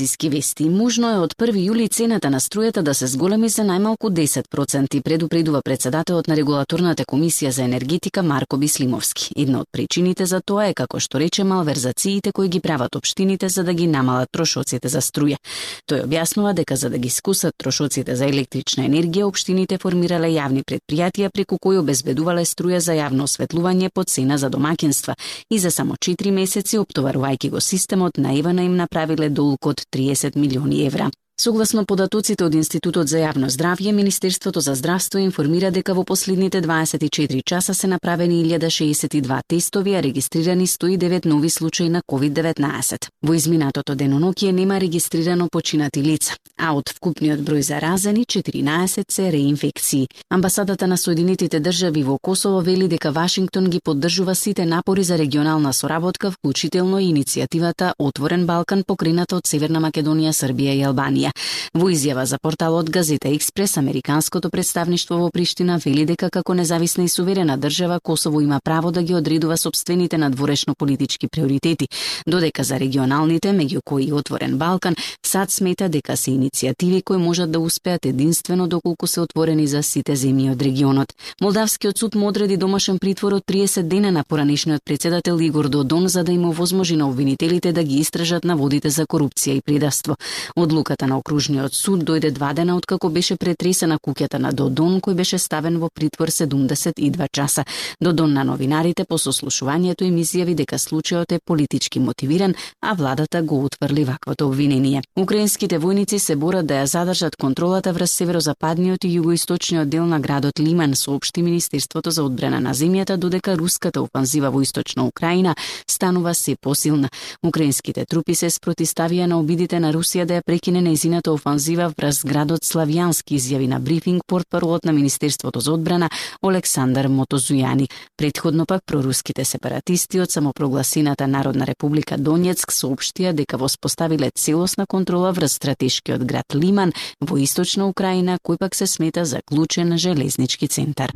Зиски вести. Можно е од 1 јули цената на струјата да се зголеми за најмалку 10%, предупредува председателот на регулаторната комисија за енергетика Марко Бислимовски. Една од причините за тоа е, како што рече, малверзациите кои ги прават општините за да ги намалат трошоците за струја. Тој објаснува дека за да ги скусат трошоците за електрична енергија, општините формирале јавни предпријатија преку кои обезбедувале струја за јавно осветлување по цена за домаќинства и за само 4 месеци, оптоварувајќи го системот, наивано им направиле долг од 30 милиони евра. Согласно податоците од Институтот за јавно здравје, Министерството за здравство информира дека во последните 24 часа се направени 1062 тестови, а регистрирани 109 нови случаи на COVID-19. Во изминатото деноноќие нема регистрирано починати лица, а од вкупниот број заразени 14 се реинфекции. Амбасадата на Соединетите држави во Косово вели дека Вашингтон ги поддржува сите напори за регионална соработка, вклучително и иницијативата Отворен Балкан, покрената од Северна Македонија, Србија и Албанија. Во изјава за порталот Газета Експрес, американското представништво во Приштина вели дека како независна и суверена држава Косово има право да ги одредува сопствените надворешно-политички приоритети, додека за регионалните, меѓу кои и Отворен Балкан, САД смета дека се иницијативи кои можат да успеат единствено доколку се отворени за сите земји од регионот. Молдавскиот суд му одреди домашен притвор од 30 дена на поранешниот председател Игор Додон за да им овозможи на обвинителите да ги истражат наводите за корупција и предавство. Одлуката на Окружниот суд дојде 2 дена откако беше претресена куќата на Додон, кој беше ставен во притвор 72 часа. Додон на новинарите по сослушувањето им изјави дека случајот е политички мотивиран, а владата го утврли ваквото обвинение. Украинските војници се борат да ја задржат контролата врз северозападниот и југоисточниот дел на градот Лиман, соопшти Министерството за одбрана на земјата, додека руската офанзива во источна Украина станува се посилна. Украинските трупи се спротиставија на обидите на Русија да ја прекине нејзината офанзива врз градот Славјански, изјави на брифинг портпаролот на Министерството за одбрана Олександар Мотозујани. Претходно пак проруските сепаратисти од самопрогласената Народна република Донецк соопштија дека воспоставиле целосна контрола врз стратешкиот град Лиман во источна Украина, кој пак се смета за клучен железнички центар.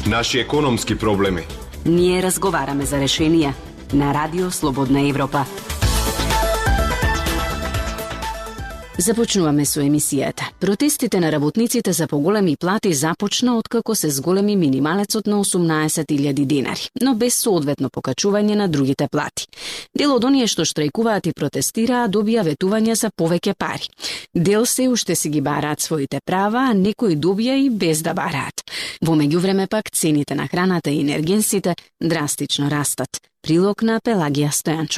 Наши економски проблеми. Ние разговараме за решенија на Радио Слободна Европа. Започнуваме со емисијата. Протестите на работниците за поголеми плати започна откако се зголеми минималецот на 18.000 денари, но без соодветно покачување на другите плати. Дел од оние што штрајкуваат и протестираа добија ветување за повеќе пари. Дел се уште си ги бараат своите права, а некои добија и без да бараат. Во меѓувреме пак цените на храната и енергенсите драстично растат. Прилог на Пелагија Стојанчо.